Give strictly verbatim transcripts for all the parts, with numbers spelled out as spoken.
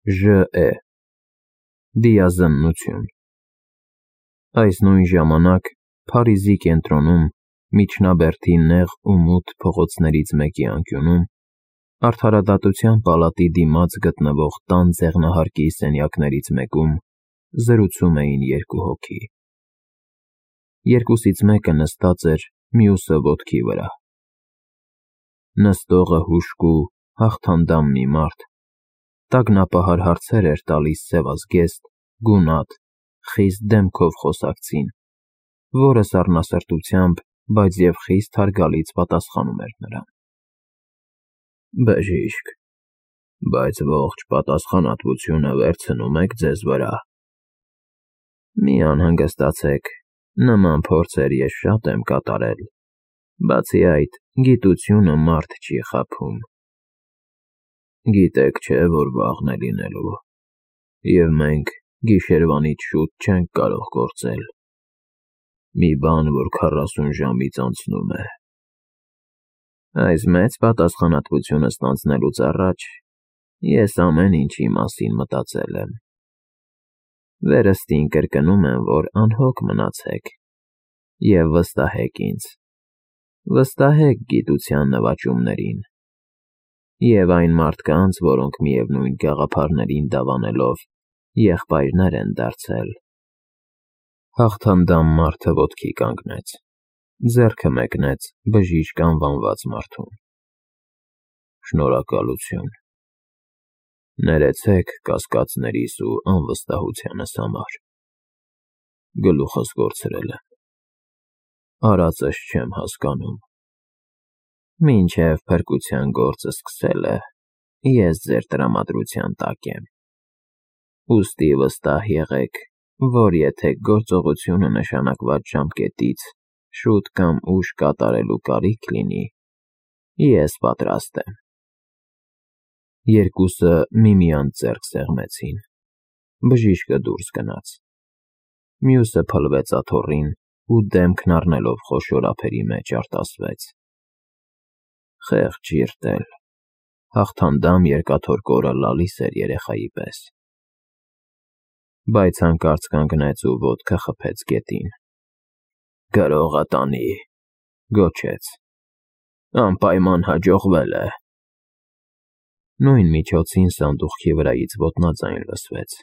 Ժ է Դիազննություն։ Այս նույն ժամանակ Փարիզի կենտրոնում, միջնաբերդի նեղ ու մութ փողոցներից մեկի անկյունում, Արդարադատության պալատի դիմաց գտնվող տան ձեղնահարկի սենյակներից մեկում զրուցում էին երկու հոգի։ Երկուսից մեկը նստած էր, մյուսը ոտքի վրա։ Նստողը հուժկու, հաղթանդամ մի մարդ, տագնապահար հարցեր էր տալիս սևազգեստ, գունատ, խիստ դեմքով խոսակցին, որը սառնասրտությամբ, բայց և խիստ հարգալից պատասխանում էր նրան։ Բժիշկ, բայց ողջ պատասխանատվությունը վերցնում եք ձեզ վրա։ Մի անհանգստացեք, նման փորձեր ես շատ եմ կատարել, բացի այդ, գիտությունը մարդ չի խաբում։ Գիտեք չէ, որ վաղն է լինելու, և մենք գիշերվանից շուտ չենք կարող գործել։ Մի բան, որ քառասուն ժամից անցնում է։ Այս մեծ պատասխանատվությունը ստանձնելուց առաջ ես ամեն ինչի մասին մտածել եմ։ Վերստին կրկնում եմ, որ անհոգ մնացեք և վստահեք ինձ, վստահեք գիտության նվաճումներին և այն մարդկանց, որոնք միևնույն գաղափարներին դավանելով եղբայրներ են դարձել։ Հաղթանդամ մարդը ոտքի կանգնեց, ձեռքը մեկնեց բժիշկ անվանված մարդուն։ Շնորհակալություն։ Ներեցեք կասկածներիս ու անվստահությանս համար։ Գլուխս կորցրել եմ։ Արածս չեմ հասկանում։ Մինչև փրկության գործը սկսել է, ես ձեր տրամադրության տակ եմ։ Ուստի վստահ եղեք, որ եթե գործողությունը նշանակված ժամկետից շուտ կամ ուշ կատարելու կարիք լինի, ես պատրաստ եմ։ Երկուսը միմյանց ձեռք սեղմեցին։ Բժիշկը դուրս գնաց։ Մյուսը փլվեց աթոռին ու դեմքն առնելով խոշոր ափերի մեջ արտասվեց. Խեղճ ժիրտել, հաղթանդամ երկաթոռ լալիս էր երեխայի պես։ Բայց հանկարծ կանգնեց ու ոտքը խփեց գետին։ Գրողը տանի, գոչեց, անպայման հաջողվել է։ Նույն միջոցին սանդուղքի վրայից ոտնաձայն լսվեց։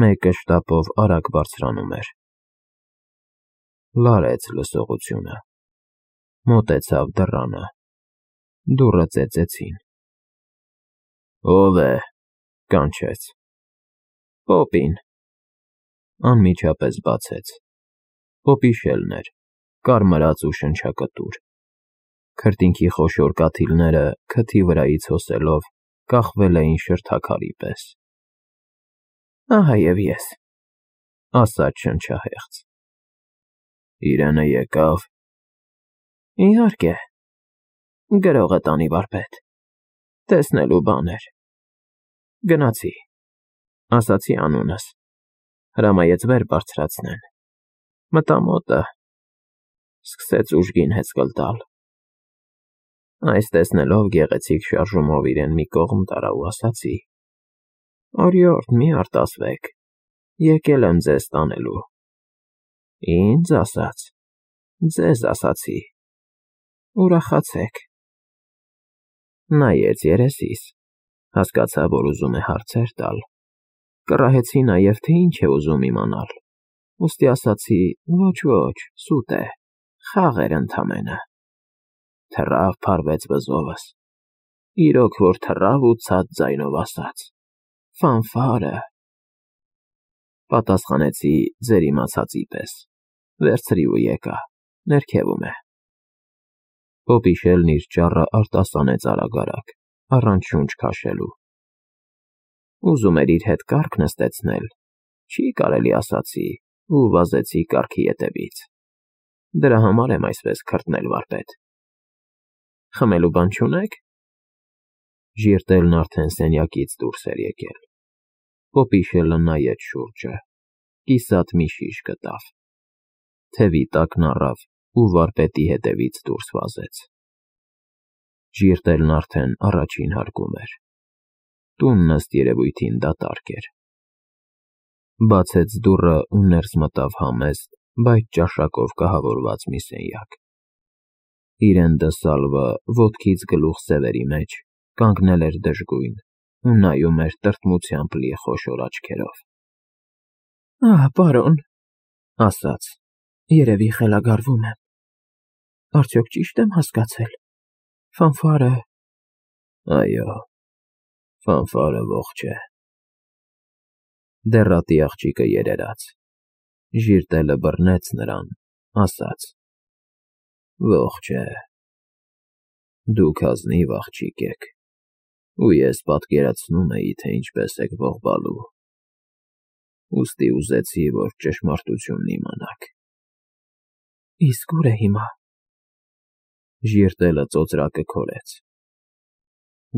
Մեկը շտապով արագ բարձրանում էր։ Լարեց լսողությունը։ Մոտեցավ դռանը։ Դուռը ծեծեցին։ Ո՞վ է, կանչեց։ Պոպին։ Անմիջապես բացեց։ Պոպի Շելն էր, կարմրած ու շնչակտուր։ Քրտինքի խոշոր կաթիլները, քթի վրայից հոսելով, կախվել էին շրթաքարի պես։ Ահա և ես, ասաց շնչահեղձ։ Իրենը եկավ։ Իհարկե, գրողը տանի վարպետ, տեսնելու բան էր։ Գնացի, ասացի անունս, հրամայեց վեր բարձրացնեն, մտա մոտը, սկսեց ուժգին հեծկլ տալ։ Այս տեսնելով գեղեցիկ շարժումով իրեն մի կողմ տարա ու ասացի. Օրիորդ, մի արտասվեք, եկել եմ ձեզ տանելու։ Ինձ ասաց, ձեզ ասացի, ուրախացեք։ Նայեց երեսիս, հասկացա, որ ուզում է հարցեր տալ։ Կռահեցի նաև, թե ինչ է ուզում իմանալ, ուստի ասացի. ոչ, սուտ է, խաղ էր ընդամենը։ Թռավ փարվեց վզովս, իրոք որ թռավ ու ցած ձայնով ասաց. Ֆանֆարը։ Պատասխանեցի ձեր իմացածի պես, վերցրի ու եկա, ներքևում է։ Պոպի Շելն իր ճառը արտասանեց արագ-արագ, առանց շունչ քաշելու։ Ուզում էր իր հետ կառք նստեցնել, չի կարելի ասացի ու վազեցի կառքի ետևից։ Դրա համար եմ այսպես քրտնել վարպետ։ Խմելու բան չունե՞ք։ Ժիրտելն արդեն սենյակից դուրս էր եկել։ Պոպի Շելը նայեց շուրջը, կիսատ մի շիշ գտավ։ Թևի տակն առավ ու վարպետի հետևից դուրս վազեց։ Ժիրտելն արդեն առաջին հարկում էր։ Տունն ըստ երևույթին դատարկ էր։ Բացեց դուռը ու ներս մտավ համեստ, բայց ճաշակով կահավորված մի սենյակ։ Իրեն դսալվը ոտքից գլուխ սևերի մեջ կանգնել էր դժգույն ու նայում էր տրտմությամբ լի խոշոր աչքերով։ Ահ, պարոն, ասաց, երևի խելագարվում եմ։ Արդյոք ճիշտ եմ հասկացել։ Ֆանֆարը… Այո, ֆանֆարը ողջ է։ Դեռատի աղջիկը երերաց։ Ժիրտելը բռնեց նրան, ասաց. Ողջ է։ Դուք ազնիվ աղջիկ եք, ու ես պատկերացնում էի, թե ինչպես եք ողբալու, ուստի ուզեցի, որ ճշմարտությունն իմանաք։ Իսկ ուր է հիմա։ Ժիրտելը ծոծրակը քորեց։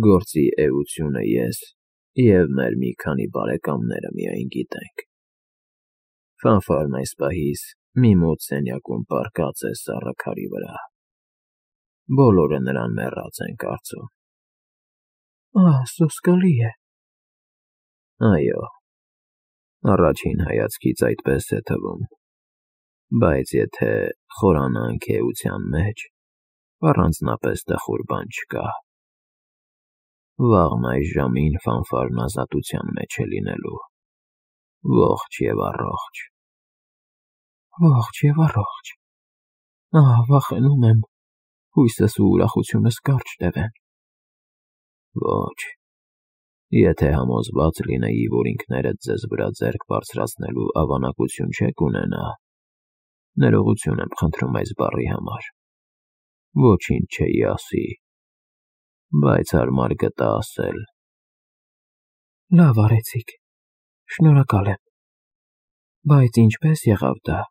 Գործի էությունը ես և մեր մի քանի բարեկամները միայն գիտենք։ Ֆանֆարն այս պահից մի մոտ սենյակում պառկած է սառը քարի վրա։ Բոլորը նրան մեռած են կարծում։ Ահ, սոսկալի է։ Այո, առաջին հայացքից այդպես է թվում, բայց եթե խորանանք էության մեջ, առանձնապես տխուր բան չկա։ Վաղն այս ժամին ֆանֆարն ազատության մեջ է լինելու, ողջ և առողջ։ Ողջ և առողջ։ Ահ, վախենում եմ, հույսս ու ուրախությունս կարճ տևեն։ Ոչ, եթե համոզված լինեի, որ ինքներդ ձեզ վրա ձեռք բարձրացնելու ավանակություն չեք ունենա, ներողություն եմ խնդրում այս բառի համար, ոչինչ չէի ասի, բայց հարմար գտա ասել։ Լավ արեցիք, շնորհակալ եմ, բայց ինչպես եղավ դա։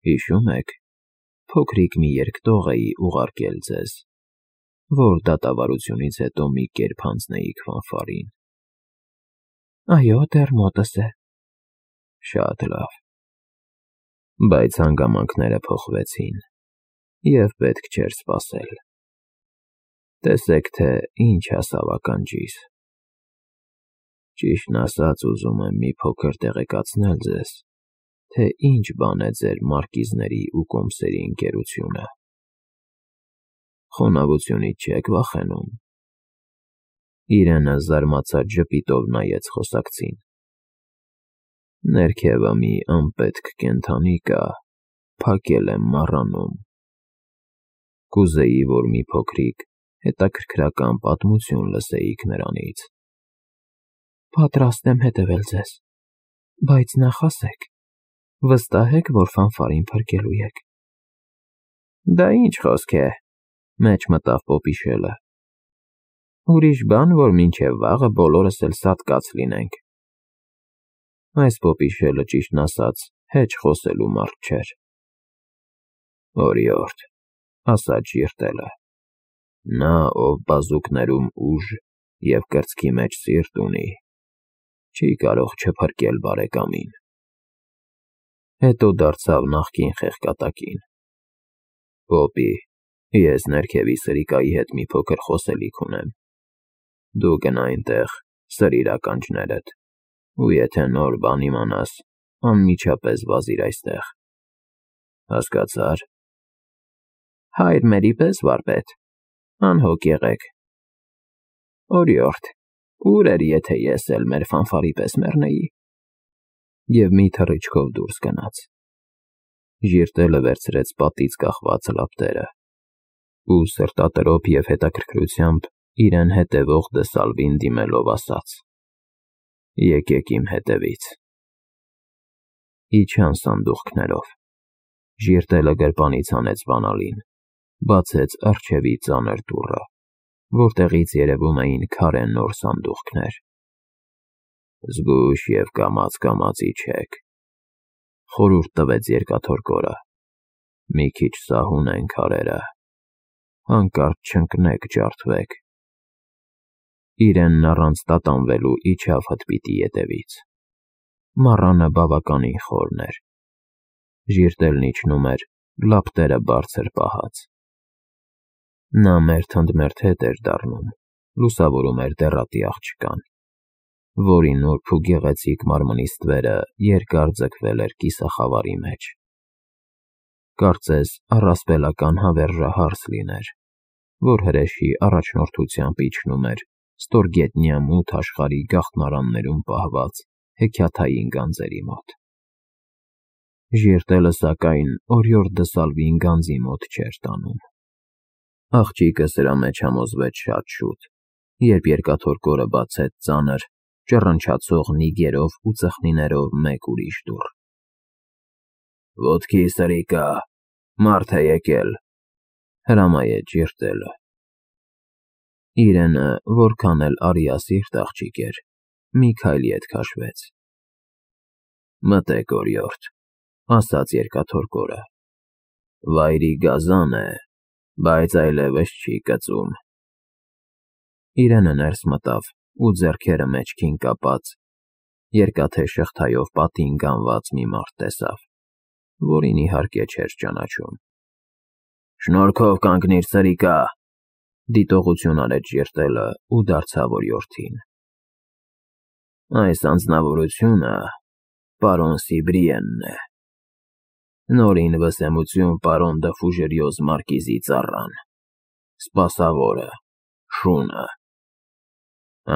Հիշում եք, փոքրիկ մի երկտող էի ուղարկել ձեզ, որ դատավարությունից հետո մի կերպ հանձնեիք ֆանֆարին։ Այո, դեռ մոտս է։ Շատ լավ։ Բայց հանգամանքները փոխվեցին, և պետք չէր սպասել։ Տեսեք, թե ինչ հասավ ականջիս։ Ճիշտն ասած, ուզում եմ մի փոքր տեղեկացնել ձեզ, թե ինչ բան է ձեր մարկիզների ու կոմսերի ընկերությունը։ Խոնավությունից չեք վախենում։ Իրենը զարմացած ժպիտով նայեց խոսակցին։ Ներքևը մի անպետք կենդանի կա, փակել եմ մառանում։ Կուզեի, որ մի փոքրիկ հետաքրքրական պատմություն լսեիք նրանից։ Պատրաստ եմ հետևել ձեզ, բայց նախ ասեք, վստահ եք, որ ֆանֆարին փրկելու եք։ Դա ինչ խոսք է, մեջ մտավ Պոպիշելը։ Ուրիշ բան, որ մինչև վաղը բոլորս էլ սատկած լինենք։ Այս Պոպիշելը, ճիշտն ասած, հեչ խոսելու մարդ չէր։ Օրիորդ, ասաց Ժիրտելը, նա, ով բազուկներում ուժ և կրծքի մեջ սիրտ ունի, չի կարող չփրկել բարեկամին։ Հետո դարձավ նախկին խեղկատակին. Պոպի, ես ներքևի սրիկայի հետ մի փոքր խոսելիք ունեմ։ Դու գնա այնտեղ, սրիր ականջներդ, ու եթե նոր բան իմանաս, անմիջապես վազիր այստեղ։ Հասկացա՞ր։ Հայր մերի պես, վարպետ, անհոգ եղեք։ Օրիորդ, ուր էր, եթե ես էլ մեր ֆանֆարի պես մեռնեի։ Եվ մի թռիչքով դուրս գնաց։ Ժիրտելը վերցրեց պատից կախված լապտերը ու սրտատրոփ և հետաքրքրությամբ իրեն հետևող դսալվին դիմելով ասաց. Եկեք իմ հետևից։ Իջան սանդուղքներով։ Ժիրտելը գրպանից հանեց բանալին, բացեց առջևի ծանր դուռը, որտեղից երևում էին քարե նոր սանդուղքներ։ Զգույշ և կամաց-կամաց իջեք, խորհուրդ տվեց երկաթորկորը, մի քիչ սահուն են քարերը, հանկարծ չընկնեք, ջարդվեք։ Իրենն առանց տատանվելու իջավ հդպիտի ետևից։ Մառանը բավականին խորն էր։ Ժիրտելն իջնում էր, լապտերը բարձր պահած։ Նա մերթ ընդ մերթ հետ էր դառնում, լուսավորում էր դեռատի աղջկան, որի նուրբ ու գեղեցիկ մարմնի ստվերը երկար ձգվել էր կիսախավարի մեջ։ Կարծես առասպելական հավերժահարս լիներ, որ հրեշի առաջնորդությամբ իջնում էր ստորգետնյա մութ աշխարհի գաղտնարաններում պահված հեքիաթային գանձերի մոտ։ Ժիրտելը, սակայն, օրիորդ Դսալվին գանձի մոտ չէր տանում։ Աղջիկը սրա մեջ համոզվեց շատ շուտ, երբ երկաթորկորը բացեց ծանր, ճռնչացող նիգերով ու ծխնիներով մեկ ուրիշ դուռ։ «Ոտքի սրիկա, մարդ է եկել», հրամայեց ժիրտելը։ Իրենը, որքան էլ արիասիրտ աղջիկ էր, մի քայլի հետ քաշվեց։ «Մտեք, օրիորդ», ասաց երկաթորկորը։ «Վայրի գազան է, բայց այլևս չի կծում»։ Իրենը ներս մտավ ու ձեռքերը մեջքին կապած, երկաթե շղթայով պատին գանված մի մարդ տեսավ, որին իհարկե չէր ճանաչում։ «Շնորհքով կանգնիր, սրիկա», դիտողություն արեց ժիրտելը ու դարձավ օրիորդին։ «Այս անձնավորությունը պարոն Սիբրիենն է, նորին վսեմություն պարոն Դը Ֆուժերյոզ մարկիզի ծառան, սպասավորը, շունը,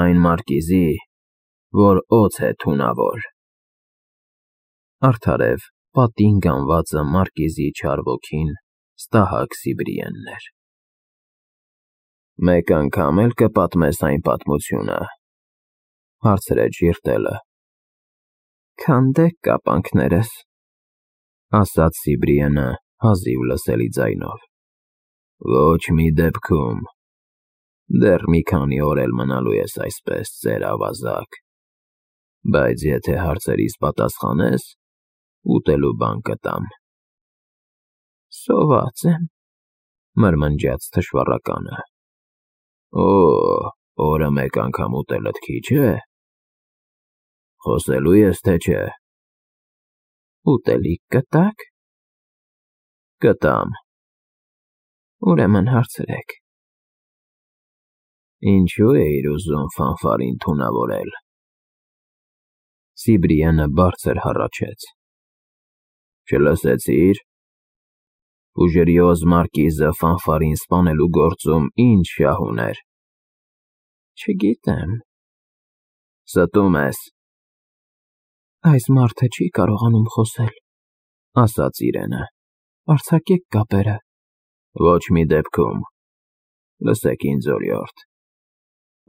այն մարկիզի, որ օձ է թունավոր»։ Արդարև, պատին գանվածը մարկիզի չար ոգին Ստահակ Սիբրիենն էր։ «Մեկ անգամ էլ կպատմես այն պատմությունը», հարցրեց ժիրտելը։ «Քանդեք կապանքներս», ասաց Սիբրիենը հազիվ լսելի ձայնով։ «Ոչ մի դեպքում, դեռ մի քանի օր էլ մնալու ես այսպես, ծեր ավազակ, բայց եթե հարցերիս պատասխանես, ուտելու բան կտամ»։ «Սոված եմ», մրմնջաց թշվառականը։ «Օ, օրը մեկ անգամ ուտելդ քիչ է։ Խոսելո՞ւ ես, թե չէ»։ «Ուտելիք կտա՞ք»։ «Կտամ»։ «Ուրեմն հարցրեք»։ «Ինչո՞ւ էիր ուզում ֆանֆարին թունավորել»։ Սիբրիենը բարձր հառաչեց։ «Չլսեցի՞ր։ Ֆուժերյոզ մարկիզը ֆանֆարին սպանելու գործում ինչ շահ ուներ»։ «Չգիտեմ»։ «Ստում ես»։ «Այս մարդը չի կարողանում խոսել», ասաց իրենը։ «Արձակեք կապերը»։ «Ոչ մի դեպքում։ Լսեք ինձ, օրիորդ,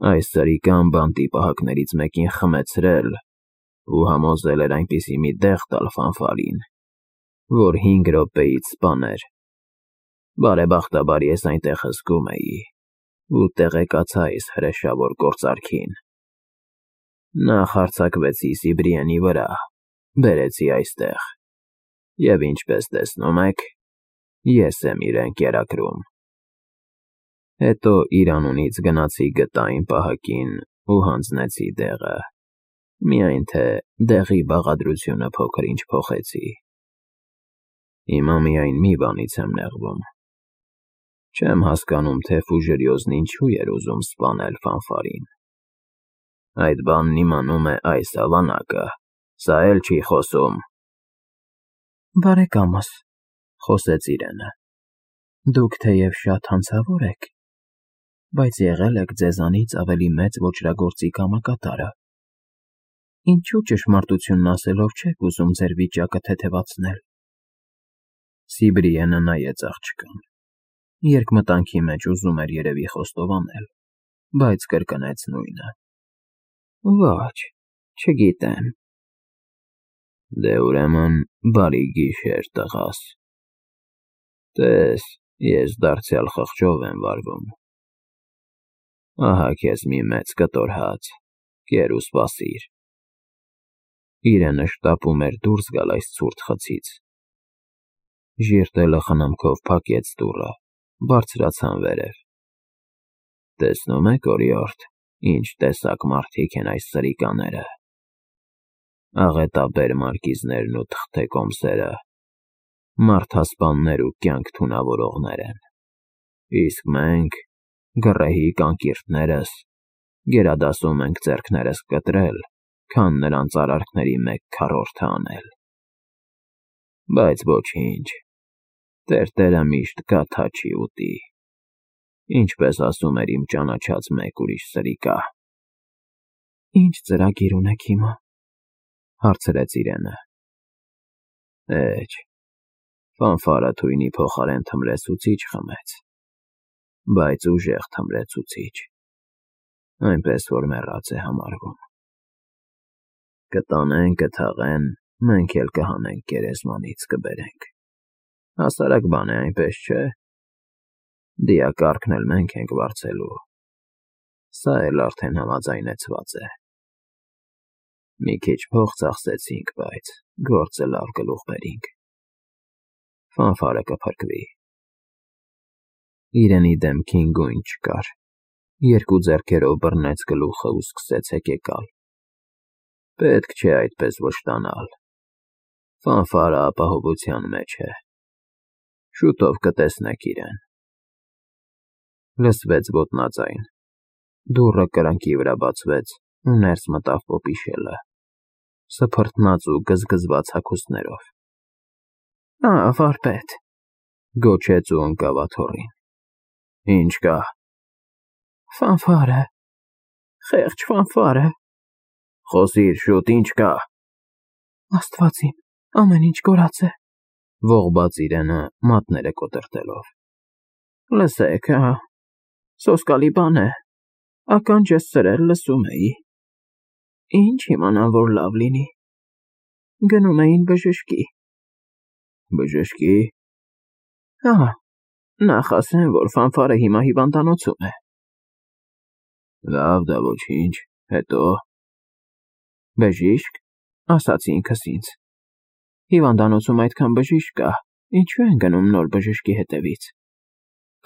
այս սրիկան բանտի պահակներից մեկին խմեցրել ու համոզել էր այնպիսի մի դեղ տալ ֆանֆարին, որ հինգ րոպեից սպաներ։ Բարեբախտաբար ես այնտեղ հսկում էի ու տեղեկացա այս հրեշավոր գործարքին։ Նախ հարձակվեցի Սիբրիենի վրա, բերեցի այստեղ, և ինչպես տեսնում եք, ես եմ իրեն կերակրում։ Հետո իր անունից գնացի գտա այն պահակին ու հանձնեցի դեղը, միայն թե դեղի բաղադրությունը փոքր-ինչ փոխեցի։ Հիմա միայն մի բանից եմ նեղվում. չեմ հասկանում, թե Ֆուժերյոզն ինչու էր ուզում սպանել ֆանֆարին։ Այդ բանն իմանում է այս ավանակը, սա էլ չի խոսում»։ «Բարեկամս», խոսեց իրենը, «դուք թեև շատ հանցավոր եք, բայց եղել եք ձեզանից ավելի մեծ ոճրագործի կամակատարը։ Ինչու ճշմարտությունն ասելով չեք ուզում ձեր վիճակը թեթևացնել»։ Սիբրիենը նայեց աղջկան։ Երկմտանքի մեջ ուզում էր երևի խոստովանել, բայց կրկնեց նույնը։ «Ոչ, չգիտեմ»։ «Դե ուրեմն բարի գիշեր, տղաս։ Տես, ես դարձյալ խղճով եմ վարվում։ Ահա քեզ մի մեծ կտոր հաց, կեր ու սպասիր»։ Իրենը շտապում էր դուրս գալ այս ցուրտ խցից։ Ժիրտելը խնամքով փակեց դուռը, բարձրացան վերև։ «Տեսնում եք, օրիորդ, ինչ տեսակ մարդիկ են այս սրիկաները։ Աղետաբեր մարկիզներն ու թղթե կոմսերը մարդասպաններ ու կյանք թունավորողներ են, իսկ մենք Գռեհի կանկիրտներս, գերադասում ենք ձեռքներս կտրել, քան նրանց արարքների մեկ քառորդը անել։ Բայց ոչինչ, տերտերը միշտ գաթա չի ուտի, ինչպես ասում էր իմ ճանաչած մեկ ուրիշ սրիկա։ Ինչ ծրագիր ունեք հիմա, հարցրեց Իրենը։ Էջ, ֆանֆարը թույնի փոխարեն թմրեցուցիչ խմեց, բայց ուժեղ թմրեցուցիչ, այնպես որ մեռած է համարվում։ Կտանեն, կթաղեն, մենք էլ կհանենք գերեզմանից կբերենք։ Հասարակ բան է, այնպես չէ։ Դիակառքն էլ մենք ենք վարձելու։ Սա էլ արդեն համաձայնեցված է։ Մի քիչ փող ծախսեցինք, բայց գործը լավ գլուխ բերինք։ Ֆանֆարը կփրկվի։ Իրենի դեմքին գույն չկար, երկու ձեռքերով բռնեց գլուխը ու սկսեց հեկեկալ։ Պետք չէ այդպես վշտանալ։ Ֆանֆարը ապահովության մեջ է։ Շուտով կտեսնեք իրեն։ Լսվեց ոտնաձայն։ Դուռը կրակի վրա բացվեց ու ներս մտավ Պոպիշելը, սփռտնած ու գզգզված հագուստներով։ Ա, վարպետ, գոչեց ու ընկավ աթոռին։ Ինչ կա։ Ֆանֆարը, խեղճ ֆանֆարը։ Խոսիր շուտ, ինչ կա։ Աստված իմ, ամեն ինչ կորած է, ողբաց Իրենը մատները կոտրտելով։ Լսեք, ահա, սոսկալի բան է, ականջ ես սրել, լսում էի։ Ինչ իմանամ, որ լավ լինի։ Գնում էին բժշկի։ Բժշկի։ Ահա, նախ ասեմ, որ ֆանֆարը հիմա հիվանդանոցում է։ Լավ, դա ոչինչ, հետո։ Բժիշկ, ասացի ինքս ինձ։ Հիվանդանոցում այդքան բժիշկ կա, ինչու են գնում նոր բժշկի հետևից։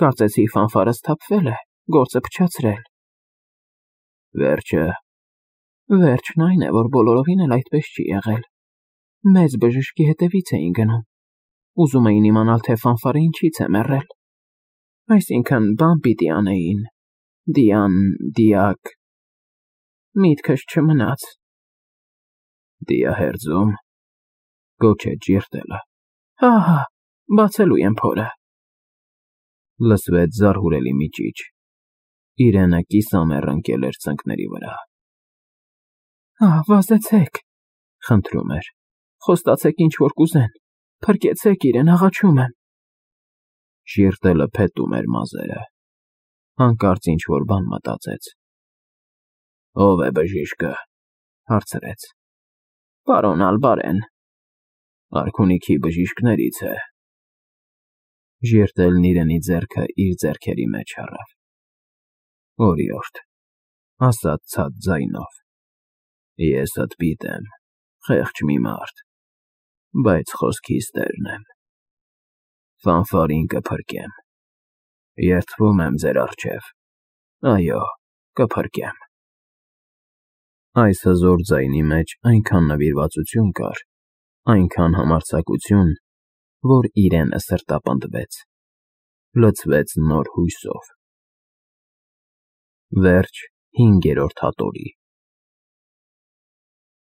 Կարծեցի ֆանֆարը սթափվել է, գործը փչացրել։ Վերջը։ Վերջն այն է, որ բոլորովին էլ այդպես չի եղել։ Մեծ բժշկի հետևից էին գնում։ Ուզում էին իմանալ, թե ֆանֆարը ինչից է մեռել։ Այսինքն, բան պիտի անեին։ Դիան, դիակ։ Միտքս չմնաց։ Դիահերձում, գոչեց Ժիրտելը։ Հա, բացելու եմ փորը։ Լսվեց զարհուրելի մի ճիչ։ Իրենը կիսամեռ ընկել էր ծնկների վրա։ Ահ, վազեցեք, խնդրում էր։ Խոստացեք ինչ որ կուզեն։ Փրկեցեք իրեն, աղաչում եմ։ Ժիրտելը փետում էր մազերը։ Հանկարծ ինչ որ բան մտածեց։ Ո՞վ է բժիշկը, հարցրեց։ Պարոն Ալբարեն։ Արքունիքի բժիշկներից է։ Ժիրտելն Իրենի ձեռքը իր ձեռքերի մեջ առավ։ Օրիորդ, ասաց ցած ձայնով։ Ես հտպիտ եմ, խեղճ մի մարդ, բայց խոսքիս տերն եմ։ Ֆանֆարին կփրկեմ։ Երդվում եմ ձեր առջև։ Այո, կփրկեմ։ Այս հզոր ձայնի մեջ այնքան նվիրվածություն կար, այնքան համարձակություն, որ Իրենը սրտապնդվեց, լցվեց նոր հույսով։ Վերջ հինգերորդ հատորի։